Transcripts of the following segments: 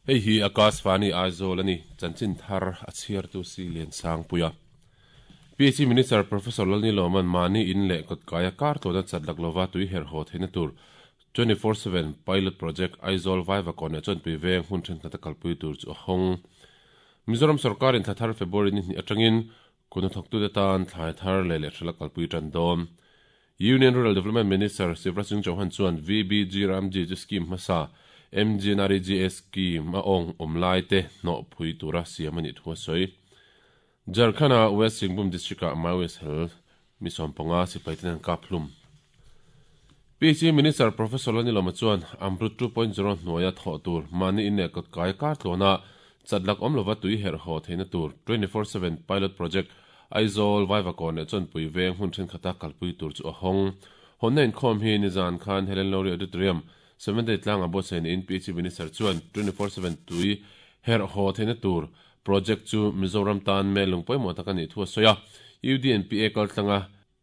Hei hi Akashvani Aizawl a ni, chanchin thar a chhiartu si Liansangpuia. PHE Minister Professor Lalniloman mahni in leh kawtkaia kar tawna chat lak lova tui herh haw theihna tur 24/7 Pilot Project Aizawl Vaivakawn leh Chawnpui veng hmun thenkhat a kalpui tur chu a hawng. Mizoram sorkarin thla thar February ni hnih atangin Kut hnathawktute tan thlai thar leh lehhralh a kalpui tan dawn. Union Rural Development Minister Shivraj Singh Chauhan chuan VBG Ramji chu scheme hmasa MGNREGA scheme a awng awm lai te hnawh phui tura siam a nih thu a sawi. Jharkhand-a West Singhbhum District-ah Maoist hel mi 15 sipai ten an kap hlum. PHE Minister Professor Lalnilawma chuan Amrut 2.0 hnuaia thawh tur mahni in leh kawtkai kar tluana chat lak awm lova tui herh haw theihna tur 24/7 Pilot Project Aizawl Vaivakawn leh Chawnpui veng hmun thenkhat a kalpui tur chu a hawng. Hawnna inkhawm hi nizan khan Helen Lowry Auditorium, Seventh-day tlangah buatsaih niin PHE Minister chuan 24/7 tui herh haw theihna tur project chu Mizoram tan mel lung pawimawh tak a nih thu a sawi a. UDNPA kaltlanga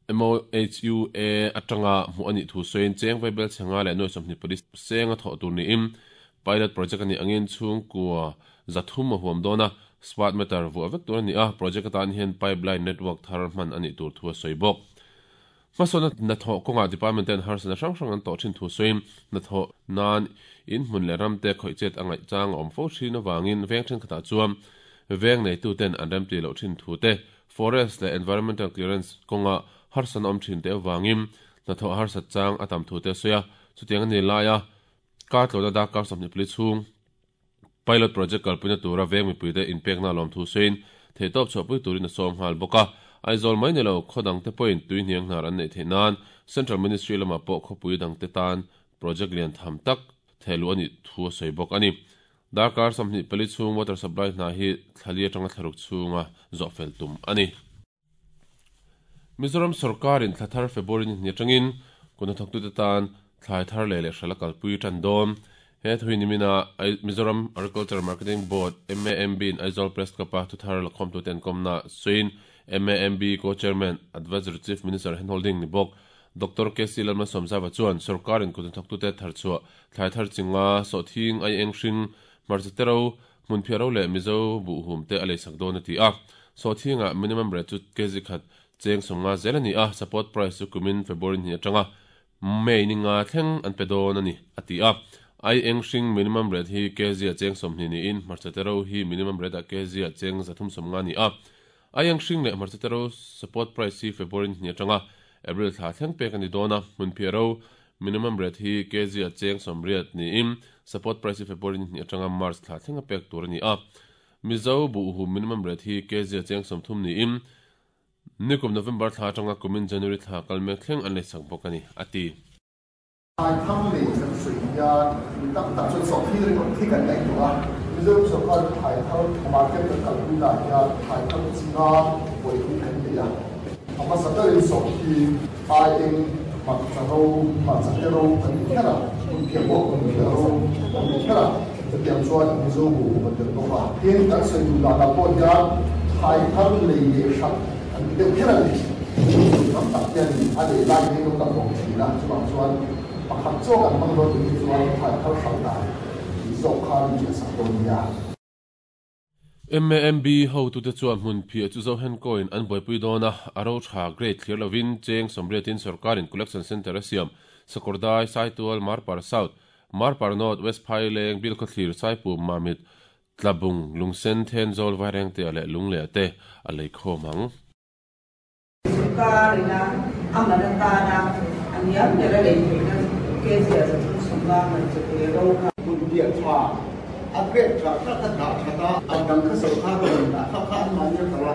MOHUA atanga hmuh a nih thu sawiin cheng vaibel chhe nga leh nuai sawmhnih pali seng a thawh tur niin pilot project a nih angin chhungkua 300 a huam dawn a, smart meter vuah vek tur a ni a, project atan hian pipeline network thar hman a nih tur thu a sawi bawk. Hmasawnna hnathawh kawngah department ten harsatna hrang hrang an tawh thin thu sawiin hnathawh nan in hmun leh ram te khawih chet a ngaih chang a awm fo thin avangin veng thenkhatah chuan veng neituten an remti loh thin thu te Forest leh Environmental Clearance kawnga harsatna awm thin te avangin hnathawh harsat chang a tam thu te a sawi a, chutiang a ni laia kar tlawhna darkar 24 chhung Pilot Project kalpuina tura veng mipuite inpekna a lawm thu sawiin theihtawp chhuahpui turin a sawm nghal bawk a. Aizawl mai ni lo khaw dangte pawhin tui hniang hnar an neih theih nan Central Ministry lamah pawh khawpui dangte tan project lian tham tak thehluh a nih thu a sawi bawk a ni. Darkar 24 chhung water supply hna hi thlali atanga thlaruk chhunga zawh fel tum a ni. Mizoram sorkarin thla thar February ni hnih atangin kut hnathawktute tan thlai thar leh lehhralh a kalpui tan dawn. He thu hi nimina Mizoram Agriculture Marketing Board, MAMB, in Aizawl Press Club-a thuthar lakhawmtute an kawmna sawiin MAMB Co-Chairman, Advisory Chief Minister Handholding ni bawk Doctor KC Lalmalsawmzava chuan sorkarin kut hnathawktute tharchhuah thlai thar chinga sawhthing, aieng hring, hmarcha te ro, hmunphiah ro leh Mizo buhhum te a leisak dawn a ti a. Sawhthingah minimum rate chu kg khat cheng 50 zel a ni a, support price chu kumin February hnih atanga May ni nga thleng an pe dawn a ni, a ti a. Aieng hring minimum rate hi kg ah cheng 20 niin hmarcha te ro hi minimum rate ah kg ah cheng 350 a ni a. Aieng hring leh hmarcha te ro support price hi February ni hnih atanga April thla thleng pek a ni dawn a, hmunphiah ro minimum rate hi kg ah cheng 80 niin support price hi February ni hnih atanga March thla thleng a pek tur a ni a. Mizo buhhum minimum rate hi kg ah cheng 30 niin nikum November thla atanga kumin January thla kal mek thleng an leisak bawk a ni, a ti. Thlai thar lei kan sawi hian mi tam tak chuan sawhthing ringawt hi kan ngaihtuah a. Mizoram sorkar chu thlai thar market kan kalpui dan hian thlai thar chi nga buaipui kan nei a. A hmasa berin sawhthing, aieng, hmarcha ro, hmarcha te ro kan ti kher a, hmunphiah pawh hmunphiah ro kan ti kher a, chutiang chuan Mizo bu hum a tel bawk a. Tin, kan sawi duh danah pawh hian thlai thar lei leh hralh kan ti deuh kher a ni. Tam tak hianin a leh lai hi lo la bawk thin a, chuvang chuan pakhat chaw kan hmang dawn tih hi chuan thlai thar hralh dan tih zawk kha min hriatsak dawn nia. MAMB hotute chuan hmunphiah chu Zohenkoin an buaipui dawn a, a ro tha grade thlir lovin cheng 80in sorkarin collection centre a siam, Sakawrdai, Saitual, Marpar South, Marpar North, West Phaileng, Bilkhawthlir, Saipum, Mamit, Tlabung, Lungsen, Thenzawl, Vairengtea leh Lungleh te a lei khawm ang. Sorkar ina a man atana a hniam ber a lei theihna kg ah 350 man che te ro kha. Hun piah tha, a grade tha tha kha dah that a, a dang kha sorkar a rawn dah kha kha an mahni a phal a,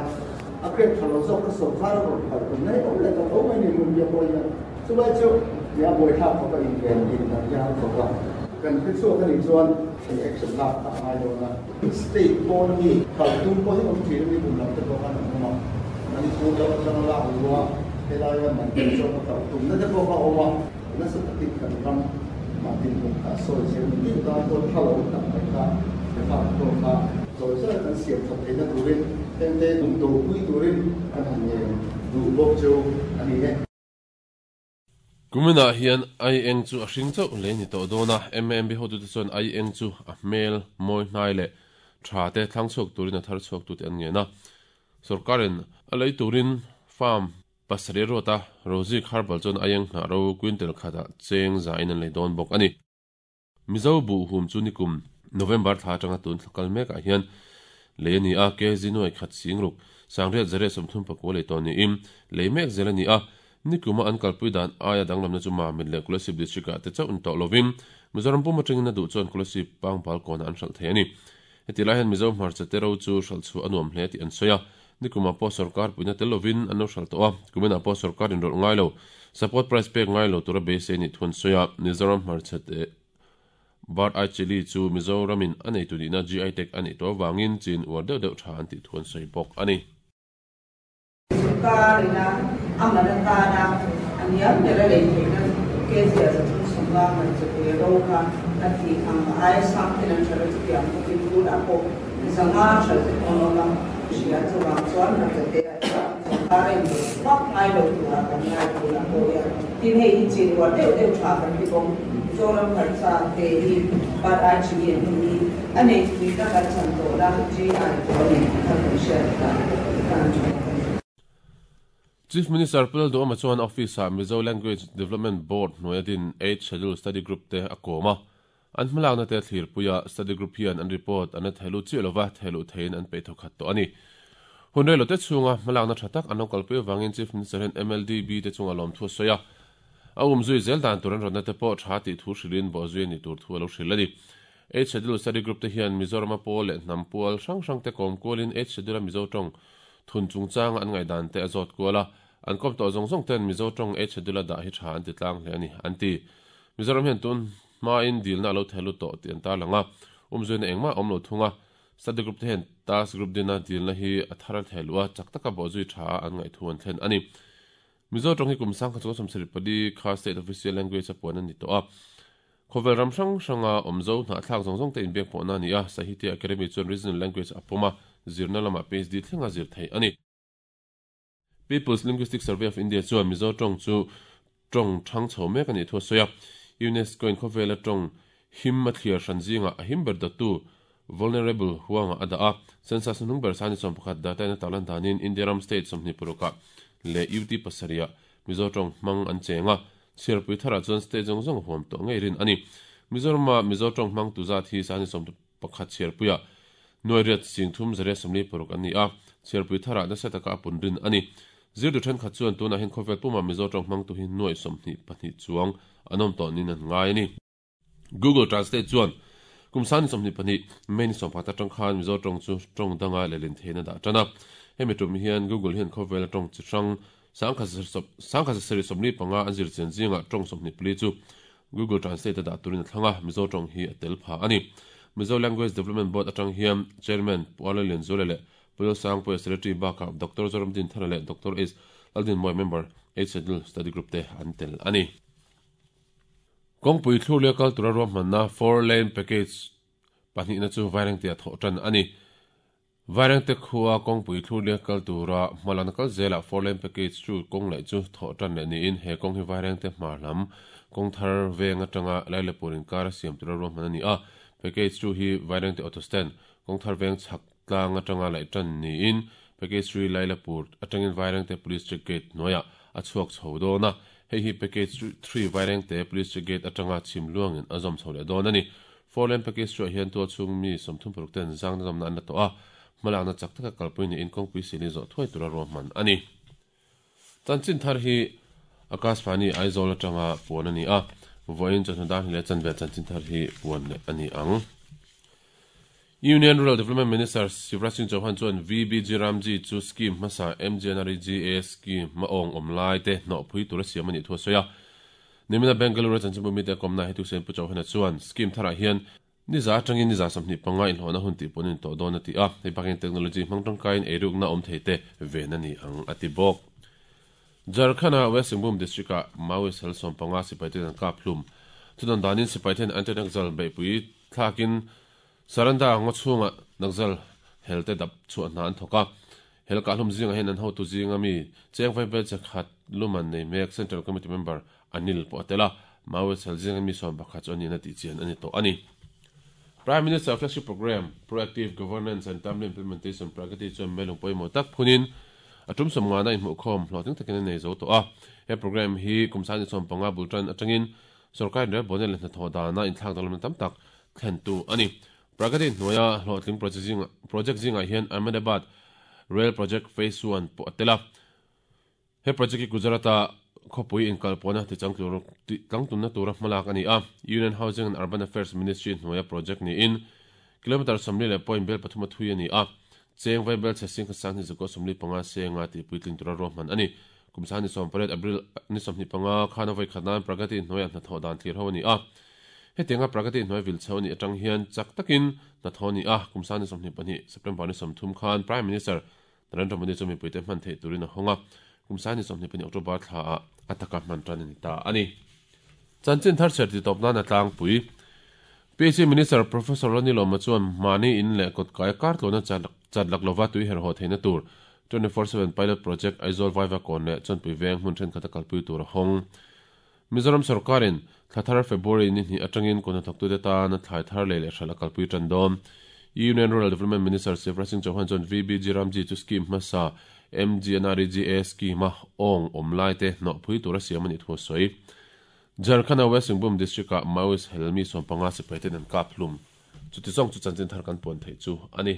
a grade tha lo zawk kha sorkar a rawn phal tum mai awm leh ta tho mai ni hun piah pawh hian. Chulai chu nia buaithlak khawp a inven din dan hi a har khawp a, kan hre chhuak a nih chuan thei action lak kha a ngai dawn a. State pawn ami kal tum pawh hi awm thin a ni kum lam te pawh khan an awm a, Manipur lam atanga lak luh a helaia man tel zawk a kal tumna te pawh kha a awm a, nasa takin kan ram mah dinhmun kha a sawi zel ni deuh tan pawh tha lo tak mai kha kha pawh kha zawi zawi kan siam that theihna turin hengte do pui turin kan han ngen duh bawk chu a ni e. Kuminah hian aieng chu a hring chauh lei a ni tawh dawn a, MAMB hotute chuan aieng chu a hmel mawi hnai leh tha te thlang chhuak turin a thar chhuak tute an ngen a. Sorkarin a lei turin farm pasarih a ruat a, Rozik Herbal chuan aieng hnah ro quintal khatah cheng zain an lei dawn bawk a ni. Mizo buhhum chu nikum November thla atanga tun thla kal mekah hian lei a ni a, kg nuai khat singruk sangriat zariat 34 lei tawh niin lei mek zel a ni a. Nikuma an kalpui dan aia danglamna chu Mamit leh Kolasib District-ah te chauh ni tawh lovin Mizoram pum atangin a duh chuan Kolasib Pangbal kawnah an hralh thei a ni. Heti lai hian Mizo hmarcha te ro chu hralh chhuah a nuam hle tih an sawi a, nikumah pawh sorkar puihna tel lovin an lo hralh tawh a, kuminah pawh sorkar inrawlh ngai lo, support price pek ngai lo tura beisei nih thu an sawi a, Mizoram hmarcha te Bird Eye Chilli chu Mizoramin a neitu nihna GI tag a neih tawh avangin chin uar deuh deuh tha an tih thu an sawi bawk a ni. Sorkar ina a man atana a hniam ber a lei theihna kg-a 350 man chawhmeh ro kha a tih ang a aia sang ten an hralh a chutiang bawkin tunah pawh 500 hralh te pawh an awm a hria chuvang chuan hmarchate ah hian sorkar a inrawlh vak ngai lo turah kan ngai tunah pawh hian tin hei hi chin uar deuh deuh tha kan ti bawk Mizoram hmarcha te hi Bat ai chini an ti hi a nei tui na kan chan tawhna GI pawh a ni tih kha kan hriat dan tan tha tak a ni. Chief Minister Pu Lalduhawma chuan office-ah Mizo Language Development Board hnuaia din Eight Schedule Study Group te a kawm a. An hmalakna te thlirpuia study group hian an report an la thehluh chiah lova thehluh theiin an peih thawkhat tawh a ni. Hun rei lote chhunga hmalakna tha tak an lo kalpui avangin Chief Minister hian MLDB te chunga lawmthu a sawi a. A umzui zel dan tur an rawtna te pawh tha tih thu hrilhin bawhzui a nih tur thu a lo hrilh a ni. Eight Schedule Study Group te hian Mizorama pawl leh hnam pual hrang hrang te kawm kualin Eight Schedule-a Mizo tawng thun chungchanga an ngaihdan te a zawt kual a. An kawm tawh zawng zawng ten Mizo tawng Eight Schedule-a dah hi tha an ti tlang hle a ni, an ti. Mizoram hian tun hmain dilna a lo theh lut tawh tih an tarlang a, umzuina engmah a awm lo thung a. Study Group te hian Task Group dina dilna hi a thar a theh luh a, chak taka bawhzui tha a an ngaih thu an thlen a ni. Mizo tawng hi kum 1974 kha State Official Language a puan a ni tawh a. Khawvel ram hrang hranga awmzo hnahthlak zawng zawng te inbiak pawhna a ni a, Sahitya Academy chuan Regional Language a pawm a, zirna lamah PhD thlenga zir theih a ni. People's Linguistic Survey of India chuan Mizo tawng chu tawng thang chho mek a nih thu a sawi a. UNESCO-in khawvela tawng him a thliar hran zingah a him ber dawttu Vulnerable huangah a dah a, census hnung ber sani 11 data in a tarlan danin India ram state 26 ah leh UT pasarih ah Mizo tawng hmang an cheng a, chhiarpui tharah chuan state zawng zawng a huam tawh ngei rin a ni. Mizorama Mizo tawng hmang tu zat hi sani 11 chhiarpui ah nuai riat sing thum zariat 46 an ni a, chhiarpui tharah nasa taka a pun rin a ni. Zirtu thenkhat chuan tunah hian khawvel puma Mizo tawng hmangtu hi nuai 22 chuang an awm tawh niin an ngai a ni. Google Translate chuan kum sani 22 May ni 14 atang khan Mizo tawng chu tawng danga lehlin theihin a dah tan a. Hemi tum hian Google hian khawvela tawng chi hrang 1775 an zir chian zingah tawng 24 chu Google Translate a dah turin a thlang a, Mizo tawng hi a tel pha a ni. Mizo Language Development Board atang hian Chairman Pu Arla Lianzuala leh Pu Lalsangpuia Secretary bakah Doctor Zoramdin Thana leh Doctor H Laldinmawia member Eight Schedule Study Group te an tel a ni. Kawngpui thlurlia kal tura ruahmanna four lane package pahnihna chu Vairengte ah thawh tan a ni. Vairengte khua kawngpui thlurlia kal tura hmalakna kal zelah four lane package chu kawng laih chu thawh tan leh niin he kawng hi Vairengte hmar lam kawng thar veng atanga Lailepur inkar a siam tura ruahman a ni a. Package chu hi Vairengte auto stand kawng thar veng chhak tlang atanga laih tan niin package 3 Lailapur atangin Vairengte police check gate hnuaiah a chhuak chho dawn a. Hei hi package 3 Vairengte police check gate atanga chhim luangin a zawm chho leh dawn a ni. Four lane package 2 ah hian tual chhung mi 36 ten zangna zawmna an la tawh a, hmalakna chak taka kalpui niin kawngpui sili zawh thuai tura ruahman a ni. Chanchin thar hi Akashvani Aizawl atanga puan a ni a, vawiin chawhnu dar hnih leh chanve chanchin thar hi puan leh a ni ang. Union Rural Development Minister Shivraj Singh Chauhan chuan VBG Ramji chu scheme hmasa MGNREGA scheme hma awng awm lai te hnawhpui tura siam a nih thu a sawi a. Nimina Bengaluru chanchinbu mite a kawmna Hetu Sen Pu Chauhan-a chuan scheme tharah hian niza atangin niza 25 inhlawhna hun tih pawn in tawh dawn a ti a, hei bakin technology hmang tangkaiin eirukna awm thei te ven a ni ang a ti bawk. Jharkhand-a West Singhbhum district-ah Maoist hel 15 sipai ten an kap hlum. Chudan danin sipai ten anti-Naxal beihpui thlakin Saranda ngaw chhungah Naxal helte dap chhuah hna an thawk a. Hel kahhlum zingah hian an hotu zinga mi cheng vaibel che khat luman nei mek Central Committee member Anil pawh a tel a, Maoist hel zinga mi 11 chu a nihna tih chian a ni tawh a ni. Prime Minister Flagship Programme, Proactive Governance and Timely Implementation Pragati chuan melung pawimawh tak phunin a tum sawmngana inhmuhkhawm hlawhtling takin a nei zo tawh a. He programme hi kum 2015 bul tan atangin sorkar inrelbawlna leh hnathawh dana inthlak danglamna tam tak thlentu a ni. Pragati hnuaia hlawhtling project zingah hian Ahmedabad Rail Project Phase One pawh a tel a. He project hi Gujarat-a khawpui inkalpawhna tichangtlungna tura hmalak a ni a. Union Housing and Urban Affairs Ministry hnuaia project niin kilometre 40 leh point bel pathum a thui a ni a. Cheng vaibel chhe sing sang hi zakua 45 senga tihpuitling tura ruahman a ni. Kum 28 April ni 25 khan a vawi khat nan Pragati hnuaiah hnathawh dan thlir ho a ni a. Hetianga Pragati hnuai vil chho a nih atang hian chak takin hnathawh a ni a, kum 22 September ni 30 khan Prime Minister Narendra Modi chu mipuite hman theih turin a hawng a, kum 22 October thlaah a taka hman tan a ni ta a ni. Chanchin thar chher titawp nan a tlangpui. PHE Minister Professor Ronnie Lawma chuan mahni in leh kawtkai kar tluana chat lak lova tui herhhaw theihna tur 24/7 Pilot Project Aizawl Vaiva kawn leh Chawnpui Veng hmun thenkhat a kalpui tur a hawng. Mizoram sorkarin thla thar February ni hnih atangin kut hnathawktute tan thlai thar lei leh hralh a kalpui tan dawn. Union Rural Development Minister Shivraj Singh Chauhan chuan VBG Ramji chu scheme hmasa MGNREGA scheme-a awng awm laite hnawhpui tura siam a nih thu a sawi. Jharkhand-a West Singhbhum District-ah Maoist hel mi 15 sipaiten an kap hlum. Chuti zawng chu chanchin thar kan puan theih chu a ni.